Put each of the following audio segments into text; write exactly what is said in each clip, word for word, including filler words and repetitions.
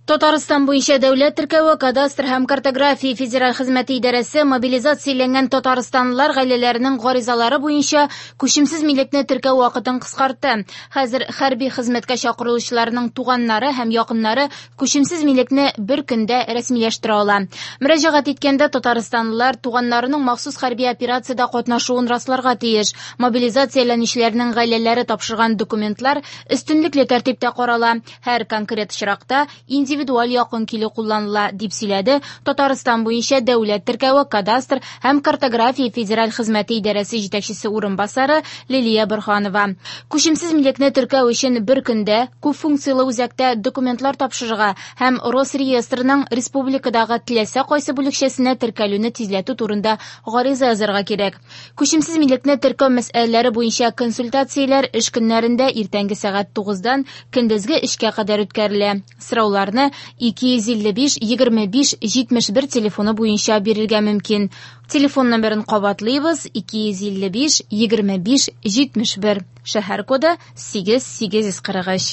Татарстан буенча дәүләт теркәве, кадастр һәм картография федераль хезмәте идарәсе мобилизацияләнгән татарстанлылар гаиләләренең гаризалары буенча күчемсез милекне теркәү вакытын кыскартты. Хәзер хәрби хезмәткә чакырылучыларның туганнары һәм якыннары күчемсез милекне бер көндә рәсмиләштерә ала. Мөрәҗәгать иткәндә татарстанлылар туганнарының махсус хәрби операциядә катнашуын расларга тиеш. Мобилизацияләнүчеләрнең гаиләләре тапшырган документлар өстенлекле тәртиптә карала. Һәр конкрет очракта индивидуаль якын килү кулланыла, дип сөйләде Татарстан буенча дәүләт теркәве, кадастр һәм картография федераль хезмәте идарәсе җитәкчесе урынбасары Лилия Борһанова. Күчемсез милекне теркәү өчен бер көндә күп функцияле үзәктә документлар тапшырырга һәм Росреестрның республикадагы теләсә кайсы бүлекчәсенә теркәлүне тизләтү турында гариза язарга кирәк. Күчемсез милекне теркәү мәсьәләләре буенча консультацияләр эш көннәрендә иртәнге сәгать тугыздан көндезге эшкә кадәр үткәрелә. Сорауларны ике йөз илле биш егерме биш җитмеш бер телефоны буенча бирергә мөмкин. Телефон номерын кабатлыйбыз: ике йөз илле биш егерме биш җитмеш бер. Шәһәр коды сигез сигез йөз кырык өч.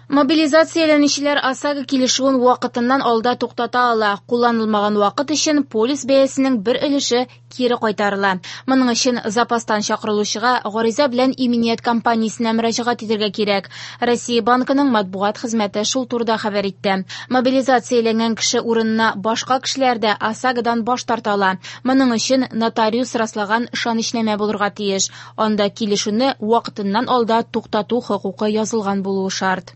Мобилизацияләнүчеләр ОСАГО килешүен вакытыннан алда туктата ала. Кулланылмаган вакыт өчен полис бәясенең бер өлеше кире кайтарыла. Моның өчен запастан чакырылучыга гариза белән иминият компаниясенә мөрәҗәгать итәргә кирәк. Россия банкының матбугат хезмәте шул турыда хәбәр итте. Мобилизацияләнгән кеше урынына башка кешеләр дә ОСАГОдан баш тарта ала. Моның өчен нотариус раслаган ышанычнамә булырга тиеш. Анда килешүне вакытыннан алда туктату хокукы язылган булуы шарт.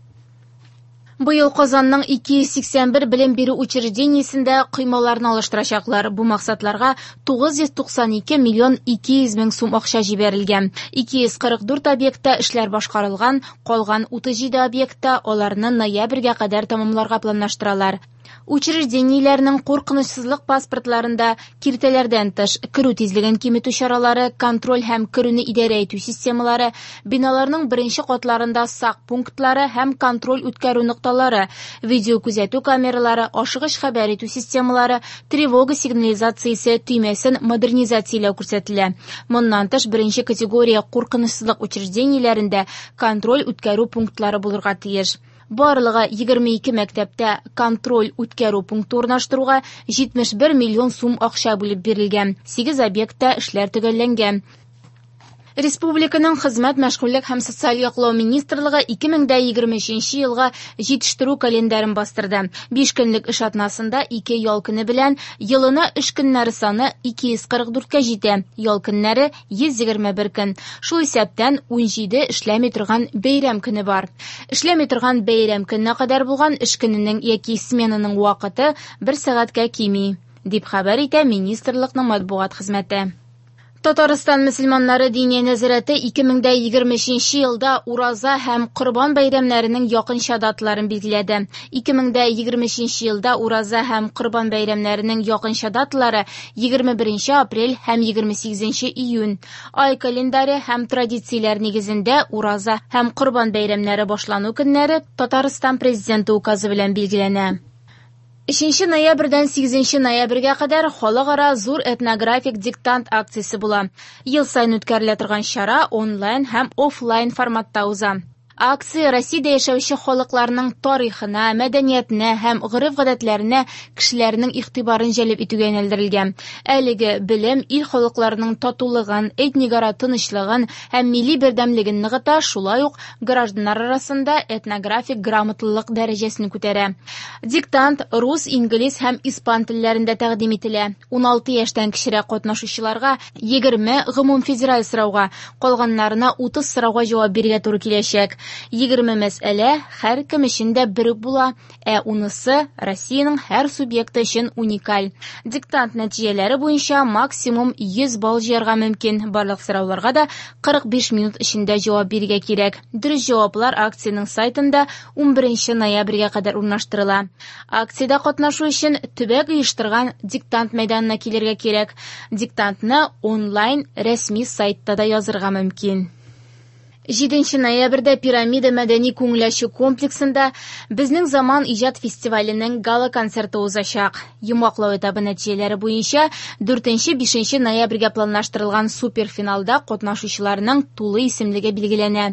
Быел Казанның ике йөз сиксән бер белем бирү учреждениесендә коймаларны алыштырачаклар. Бу максатларга тугыз йөз туксан ике миллион ике йөз мең сум акча җибәрелгән. Ике йөз кырык дүрт объектта эшләр башкарылган, калган утыз җиде объектта аларны ноябрьгә кадәр тәмамларга планлаштыралар. Учреждениеләрнең куркынычсызлык паспортларында киртәләрдән тыш керү тизлеген киметү чаралары, контроль һәм керүне идарә итү системалары, биналарның беренче катларында сак пунктлары һәм контроль үткәрү нокталары, видео күзәтү камералары, ашыгыч хәбәр итү системалары, тревога сигнализациясе төймәсен модернизацияләү күрсәтелә. Моннан тыш беренче категория куркынычсызлык учреждениеләрендә контроль үткәрү пунктлары булырга тиеш. Барлыгы егерме ике мәктәптә контроль үткәрү пункты урнаштыруга җитмеш бер миллион сум акча бүлеп бирелгән. Сигез объектта эшләр төгәлләнгән. Республиканың хезмәт, мәшгульлек һәм социаль яклау министрлыгы ике мең дә егерме өченче елга җитештерү календарен бастырды. Биш көнлек эш атнасында ике ял көне белән елына эш көннәре саны ике йөз кырык дүрткә җитә. Ял көннәре йөз егерме бер көн. Шул исәптән ун җиде эшләми торган бәйрәм көне бар. Эшләми торган бәйрәм көненә кадәр булган эш көненең яки сменаның вакыты бер сәгатькә кими, дип хәбәр итә министрлыкның матбугат хезмәте. Татарстан мөселманнары диния нәзарәте ике мең дә егерме өченче елда Ураза һәм Корбан бәйрәмнәренең якынча даталарын билгеләде. Ике мең дә егерме өченче елда Ураза һәм Корбан бәйрәмнәренең якынча даталары егерме беренче апрель һәм егерме сигезенче июнь. Ай календаре һәм традицияләр нигезендә Ураза һәм Корбан бәйрәмнәре башлану көннәре Татарстан президенты указы белән билгеләнә. Өченче ноябрьдән сигезенче ноябрьгә кадәр халыкара зур этнографик диктант акциясе була. Ел саен үткәрелә торган чара онлайн һәм офлайн форматта уза. Акция Россиядә яшәүче халыкларның тарихына, мәдәниятенә һәм гореф-гадәтләренә кешеләрнең игътибарын җәлеп итүгә юнәлдерелгән. Әлеге белем ил халыкларының татулыгын, этникара тынычлыгын һәм милли бердәмлеген ныгыта, шулай ук гражданнар арасында этнографик грамотлылык дәрәҗәсен күтәрә. Диктант рус, инглиз һәм испан телләрендә тәкъдим ителә. Уналты яшьтән кечерәк катнашучыларга егерме гомумфедераль сорауга, калганнарына утыз сорауга җавап бирергә туры киләчәк. Егерме мәсьәлә һәр кем өчен дә бер үк була, ә унысы Россиянең һәр субъекты өчен уникаль. Диктант нәтиҗәләре буенча максимум йөз балл җыярга мөмкин. Барлык сорауларга да кырык биш минут эчендә җавап бирергә кирәк. Дөрес җаваплар акциянең сайтында унберенче ноябрьгә кадәр урнаштырыла. Акциядә катнашу өчен төбәк оештырган диктант мәйданына килергә кирәк. Диктантны онлайн рәсми сайтта да язырга мөмкин. Җиденче ноябрьдә Пирамида мәдәни күңел ачу комплексында «Безнең заман» иҗат фестиваленең гала-концерты узачак. Йомгаклау этабы нәтиҗәләре буенча дүртенче-бишенче ноябрьгә планлаштырылган суперфиналда катнашучыларның тулы исемлеге билгеләнә.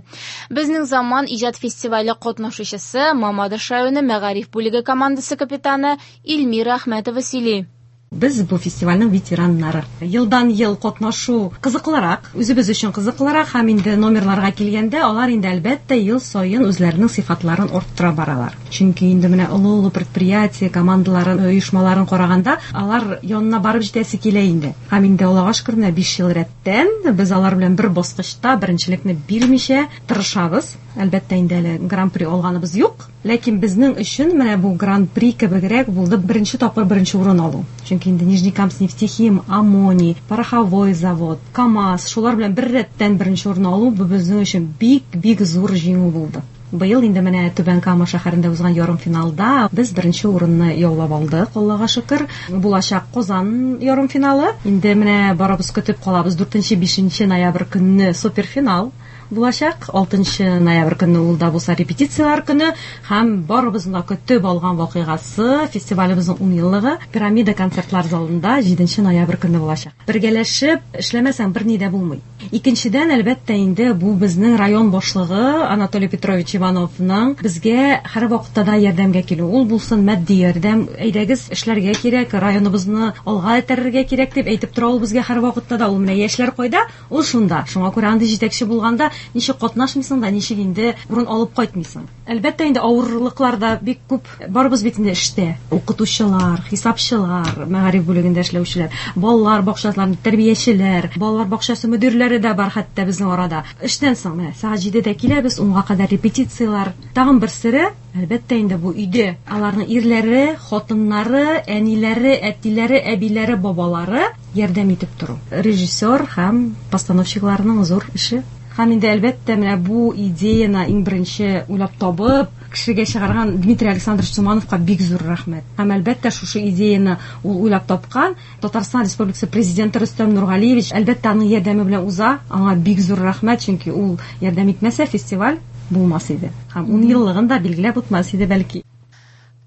«Безнең заман» иҗат фестивале катнашучысы Мамадыш районы мәгариф бүлеге командасы капитаны Эльмира Әхмәтова сөйли. Без бу фестивальнең ветераннары. Елдан ел катнашу кызыклырак, үзебез өчен кызыклырак һәм инде номерларга килгәндә алар инде әлбәттә ел саен үзләренең сыйфатларын арттыра баралар. Чөнки инде менә олы-олы предприятие командаларын, оешмаларын караганда алар янына барып җитәсе килә инде. Һәм инде Аллага шөкер, менә биш ел рәттән без алар белән бер баскычта беренчелекне бирмичә тырышабыз. Әлбәттә инде әле гран-при алганыбыз юк, ләкин безнең өчен менә бу гран-при кебегрәк булды беренче тапкыр беренче урын алу. Чөнки инде Нижнекамскнефтехим, Аммоний, Пороховой завод, КАМАЗ, шулар белән бер рәттән беренче урын алу бу безнең өчен бик-бик зур җиңү булды. Быел инде менә Түбән Кама шәһәрендә узган ярымфиналда без беренче урынны яулап алдык, Аллага шөкер. Булачак Казан ярымфиналы. Инде менә барыбыз көтеп калабыз. Дүртенче, бишенче ноябрь көнне суперфинал булачак. Алтынчы ноябрь көнне ул да булса репетицияләр көне һәм барыбызның да көтеп алган вакыйгасы фестивалебезнең ун еллыгы Пирамида концертлар залында җиденче ноябрь көнне булачак. Бергәләшеп эшләмәсәң берни дә булмый. Икенчедән, әлбәттә инде бу безнең район башлыгы Анатолий Петрович Ивановның безгә һәр вакытта да ярдәмгә килү. Ул булсын матди ярдәм, әйдәгез эшләргә кирәк, районыбызны алга этәрергә кирәк дип әйтеп тора ул безгә һәр вакытта да. Ул менә яшьләр кайда, ул шунда. Шуңа күрә андый җитәкче булганда ничек катнашмыйсың да, ничек инде урын алып кайтмыйсың. Әлбәттә инде авырлыклар да бик күп. Барыбыз бит инде эштә. Укытучылар, хисапчылар, мәгариф бүлегендә эшләүчеләр, балалар бакчаларының тәрбиячеләр, балалар бакчасы мөдирләре дә бар хәтта безнең арада. Эштән соң менә сәгать җидедә киләбез, унга кадәр репетицияләр. Тагын бер сере, әлбәттә инде бу өйдә аларның ирләре, хатыннары, әниләре, әтиләре, әбиләре, бабалары ярдәм итеп тору. Режиссер һәм постановщикларның зур эше. Һәм инде әлбәттә менә бу идеяны иң беренче уйлап табып, кешегә чыгарган Дмитрий Александрович Тумановка бик зур рәхмәт. Һәм әлбәттә шушы идеяны ул уйлап тапкан Татарстан Республикасы президенты Рөстәм Нургалиевич әлбәттә аның ярдәме белән уза. Аңа бик зур рәхмәт, чөнки ул ярдәм итмәсә фестиваль булмас иде. Һәм ун еллыгын да билгеләп үтмәс иде бәлки.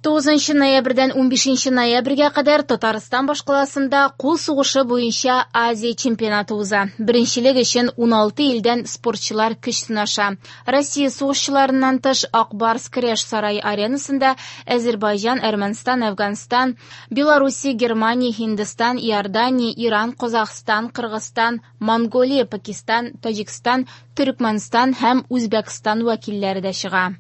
Тугызынчы ноябрьдән унбишенче ноябрьгә кадәр Татарстан башкаласында кул сугышы буенча Азия чемпионаты уза. Беренчелек өчен уналты илдән спортчылар көч сынаша. Россия сугышчыларыннан тыш Ак Барс көрәш сарае аренасында Азербайҗан, Әрмәнстан, Әфганстан, Белоруссия, Германия, Һиндстан, Иордания, Иран, Казахстан, Кыргызстан, Монголия, Пакистан, Таҗикстан, Төркмәнстан һәм Үзбәкстан вәкилләре дә чыга.